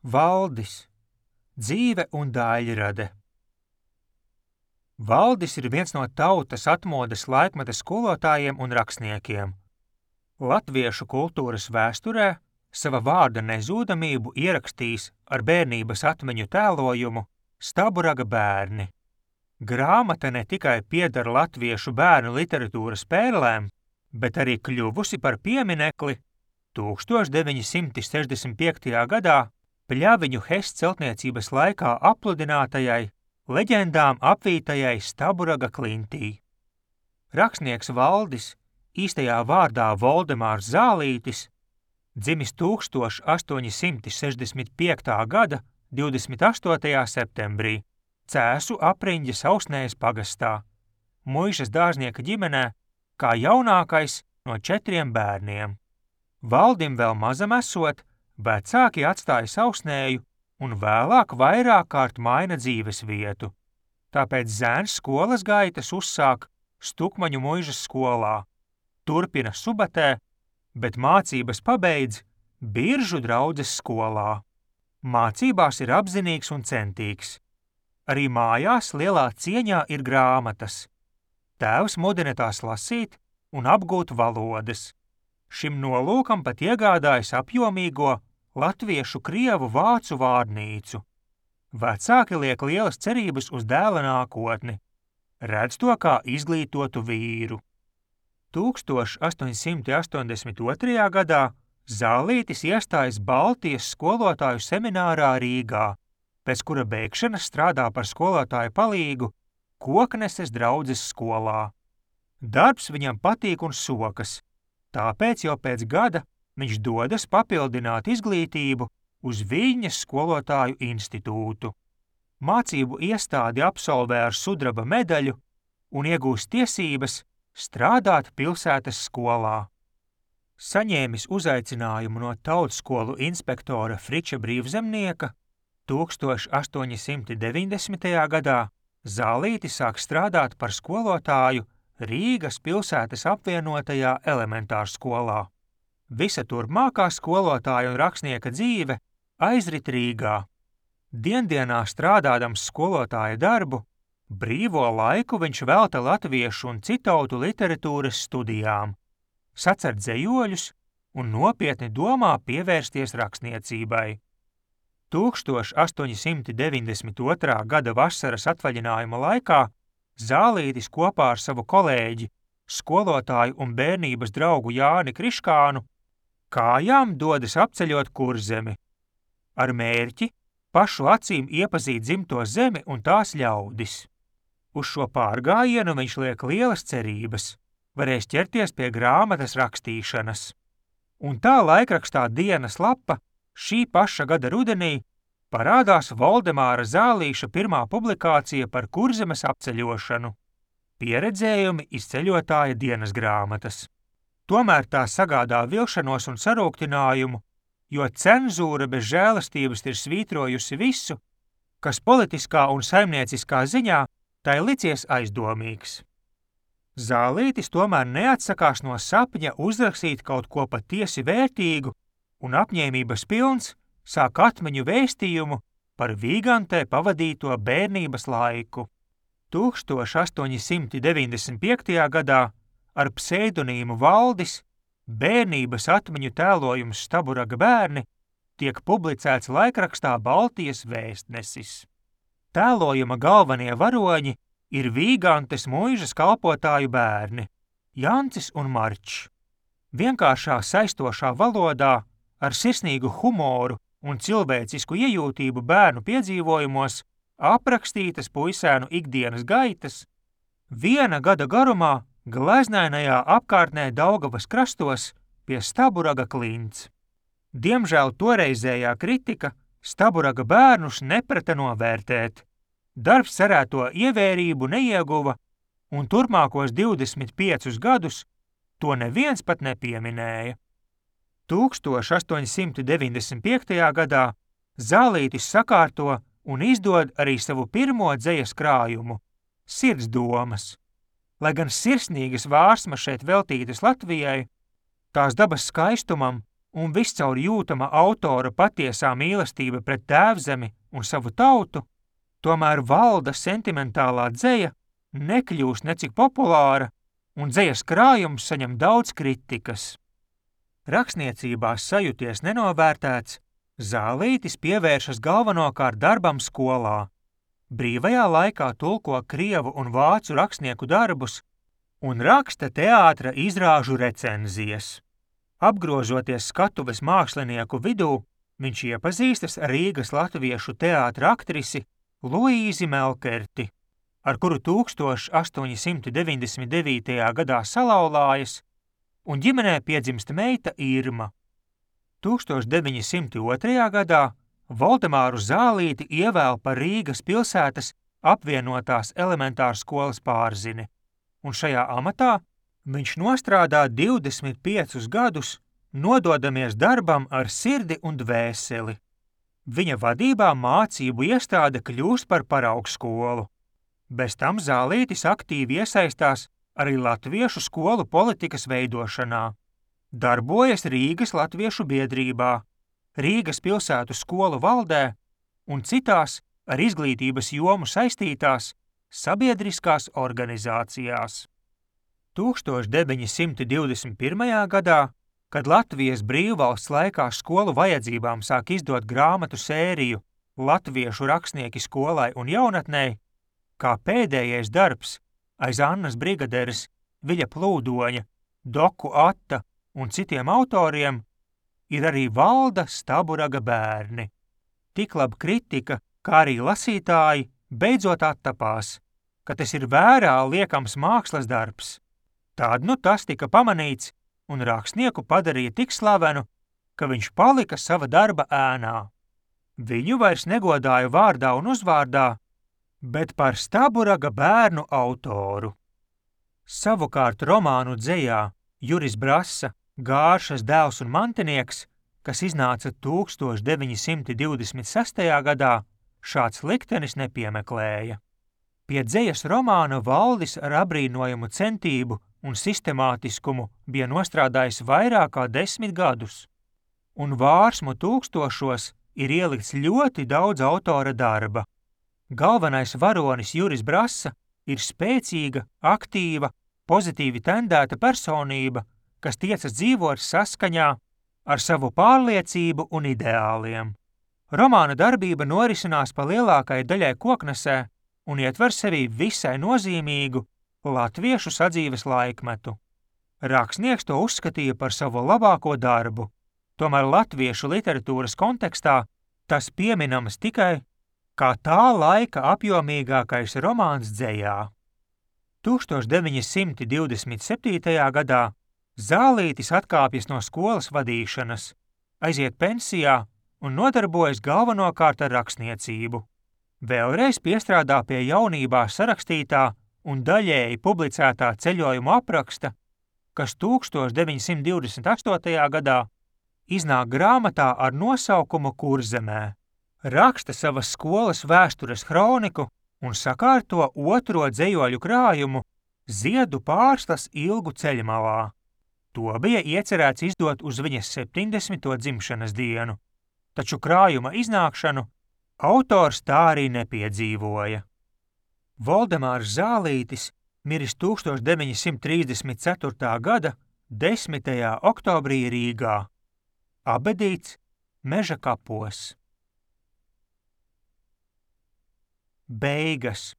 Valdis – dzīve un daļrade. Valdis ir viens no tautas atmodas laikmeta skolotājiem un rakstniekiem. Latviešu kultūras vēsturē sava vārda nezūdamību ierakstījis ar bērnības atmiņu tēlojumu Staburaga bērni. Grāmata ne tikai pieder latviešu bērnu literatūras pērlēm, bet arī kļuvusi par pieminekli 1965. gadā Pļaviņu Hess celtniecības laikā apludinātajai, leģendām apvītajai Staburaga klintī. Rakstnieks Valdis, īstajā vārdā Voldemārs Zālītis, dzimis 1865. gada 28. septembrī Cēsu apriņģes Ausnējas pagastā, Muižas dārznieka ģimenē, kā jaunākais no 4 bērniem. Valdim vēl mazam esot, vecāki atstāja Ausnēju un vēlāk vairāk kārt maina dzīves vietu. Tāpēc zēns skolas gaitas uzsāk Stukmaņu Muižas skolā, turpina Subatē, bet mācības pabeidz Biržu draudzes skolā. Mācībās ir apzinīgs un centīgs. Arī mājās lielā cieņā ir grāmatas. Tēvs mudina tās lasīt un apgūt valodas. Šim nolūkam pat iegādājas apjomīgo latviešu, krievu, vācu vārnīcu. Vecāki liek lielas cerības uz dēla nākotni. Redz to kā izglītotu vīru. 1882. gadā Zālītis iestājas Baltijas skolotāju seminārā Rīgā, pēc kura beigšanas strādā par skolotāju palīgu Kokneses draudzes skolā. Darbs viņam patīk un sokas, tāpēc jau pēc gada viņš dodas papildināt izglītību uz Viļņas skolotāju institūtu. Mācību iestādi absolvē ar sudraba medaļu un iegūst tiesības strādāt pilsētas skolā. Saņēmis uzaicinājumu no tautskolu inspektora Friča Brīvzemnieka, 1890. gadā Zālītis sāk strādāt par skolotāju Rīgas pilsētas apvienotajā elementārskolā. Visa turpmākā skolotāja un rakstnieka dzīve aizrit Rīgā. Diendienā strādādams skolotāja darbu, brīvo laiku viņš velta latviešu un citautu literatūras studijām, sacer dzejoļus un nopietni domā pievērsties rakstniecībai. 1892. gada vasaras atvaļinājuma laikā Zālītis kopā ar savu kolēģi, skolotāju un bērnības draugu Jāni Kriškānu kājām dodas apceļot Kurzemi, ar mērķi pašu acīm iepazīt dzimto zemi un tās ļaudis. Uz šo pārgājienu viņš liek lielas cerības, varēs ķerties pie grāmatas rakstīšanas. Un tā laikrakstā Dienas lapa šī paša gada rudenī parādās Voldemāra Zālīša pirmā publikācija par Kurzemes apceļošanu – pieredzējumi iz ceļotāja dienas grāmatas. Tomēr tā sagādā vilšanos un sarūktinājumu, jo cenzūra bez žēlastības ir svītrojusi visu, kas politiskā un saimnieciskā ziņā tai licies aizdomīgs. Zālītis tomēr neatsakās no sapņa uzrakstīt kaut ko patiesi vērtīgu un apņēmības pilns sāk atmiņu vēstījumu par Vīgantē pavadīto bērnības laiku. 1895. gadā ar pseidonīmu Valdis bērnības atmiņu tēlojums Staburaga bērni tiek publicēts laikrakstā Baltijas vēstnesis. Tēlojuma galvenie varoņi ir Vīgantes Muižas kalpotāju bērni Jancis un Marčs. Vienkāršā saistošā valodā ar sirsnīgu humoru un cilvēcisku iejūtību bērnu piedzīvojumos aprakstītas puisēnu ikdienas gaitas, viena gada garumā gleznainajā apkārtnē Daugavas krastos pie Staburaga klints. Diemžēl toreizējā kritika Staburaga bērnus neprata novērtēt. Darbs cerēto ievērību neieguva, un turpmākos 25 gadus to neviens pat nepieminēja. 1895. gadā Zālītis sakārto un izdod arī savu pirmo dzejas krājumu – Sirds domas. Lai gan sirsnīgas vārsmas šeit veltītas Latvijai, tās dabas skaistumam un viscaur jūtama autora patiesā mīlestība pret tēvzemi un savu tautu, tomēr valda sentimentālā dzeja nekļūst necik populāra, un dzejas krājums saņem daudz kritikas. Rakstniecībā sajūties nenovērtēts, Zālītis pievēršas galvenokārt darbam skolā. Brīvajā laikā tulko krievu un vācu rakstnieku darbus un raksta teātra izrāžu recenzijas. Apgrožoties skatuves mākslinieku vidū, viņš iepazīstas ar Rīgas latviešu teātra aktrisi Luīzi Melkerti, ar kuru 1899. gadā salauzājas, un ģimenē piedzimst meita Irma. 1902. gadā Voldemāru Zālīti ievēl par Rīgas pilsētas apvienotās elementārskolas pārzini, un šajā amatā viņš nostrādā 25 gadus, nododamies darbam ar sirdi un dvēseli. Viņa vadībā mācību iestāde kļūst par paraugskolu. Bez tam Zālītis aktīvi iesaistās arī latviešu skolu politikas veidošanā. Darbojas Rīgas latviešu biedrībā, Rīgas pilsētu skolu valdē un citās ar izglītības jomu saistītās sabiedriskās organizācijās. 1921. gadā, kad Latvijas brīvvalsts laikā skolu vajadzībām sāk izdot grāmatu sēriju Latviešu rakstnieki skolai un jaunatnei, kā pēdējais darbs aiz Annas Brigaderes, Viļa Plūdoņa, Doku Atta un citiem autoriem, ir arī Valda Staburaga bērni. Tik laba kritika, kā arī lasītāji, beidzot attapās, ka tas ir vērā liekams mākslas darbs. Tād nu tas tika pamanīts un rakstnieku padarīja tik slavenu, ka viņš palika sava darba ēnā. Viņu vairs negodāja vārdā un uzvārdā, bet par Staburaga bērnu autoru. Savukārt romānu dzejā Juris Brasa, Gāršas dēls un mantinieks, kas iznāca 1926. gadā, šāds liktenis nepiemeklēja. Pie dzejas romāna Valdis ar abrīnojumu centību un sistemātiskumu bija nostrādājis vairāk kā 10 gadus, un vārsmu tūkstošos ir ielikts ļoti daudz autora darba. Galvenais varonis Juris Brasa ir spēcīga, aktīva, pozitīvi tendēta personība, kas tiecas dzīvot saskaņā ar savu pārliecību un ideāliem. Romāna darbība norisinās pa lielākai daļai Koknesē un ietver sevī visai nozīmīgu latviešu sadzīves laikmetu. Rakstnieks to uzskatīja par savu labāko darbu, tomēr latviešu literatūras kontekstā tas pieminams tikai kā tā laika apjomīgākais romāns dzejā. 1927. gadā Zālītis atkāpjas no skolas vadīšanas, aiziet pensijā un nodarbojas galvenokārt ar rakstniecību. Vēlreiz piestrādā pie jaunībā sarakstītā un daļēji publicētā ceļojuma apraksta, kas 1928. gadā iznāk grāmatā ar nosaukumu Kurzemē. Raksta savas skolas vēstures hroniku un sakārto otro dzejoļu krājumu Ziedu pārslas ilgu ceļmalā. To bija iecerēts izdot uz viņas 70. dzimšanas dienu, taču krājuma iznākšanu autors tā arī nepiedzīvoja. Voldemārs Zālītis miris 1934. gada 10. oktobrī Rīgā, abedīts Meža kapos. Beigas.